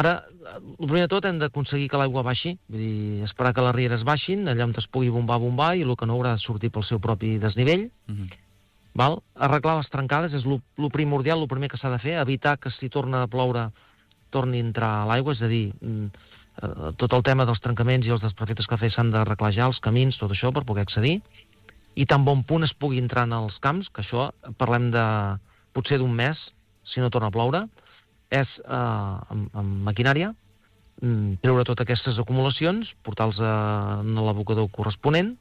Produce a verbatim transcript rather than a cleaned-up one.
Ara, el primer de tot hem d'aconseguir que l'aigua baixi, vull dir, esperar que les rieres baixin, allà on es pugui bombar, bombar, i el que no haurà de sortir pel seu propi desnivell. Uh-huh. Val? Arreglar les trencades és el primordial, el primer que s'ha de fer, evitar que si torna a ploure torni a entrar a l'aigua, és a dir, eh, tot el tema dels trencaments i els desperfectes que fa s'han d'arreglar ja, els camins, tot això, per poder accedir, i tan bon punt es pugui entrar en els camps, que això parlem de potser d'un mes, si no torna a ploure, és eh, amb, amb maquinària, treure totes aquestes acumulacions, portar-los a l'abocador corresponent,